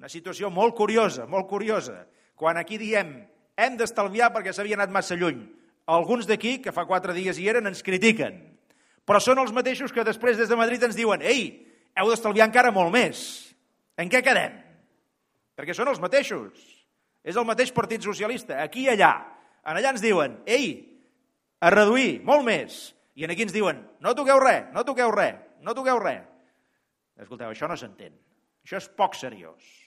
Una situació molt curiosa, molt curiosa. Quan aquí diem hem d'estalviar perquè s'havia anat massa lluny, alguns d'aquí, que fa 4 dies hi eren, ens critiquen. Però són els mateixos que després des de Madrid ens diuen ei, heu d'estalviar encara molt més. En què quedem? Perquè són els mateixos. És el mateix Partit Socialista, aquí i allà. En allà ens diuen, ei, a reduir, molt més. I aquí ens diuen, no toqueu res, no toqueu res, no toqueu res. Escolteu, això no s'entén. Això és poc seriós.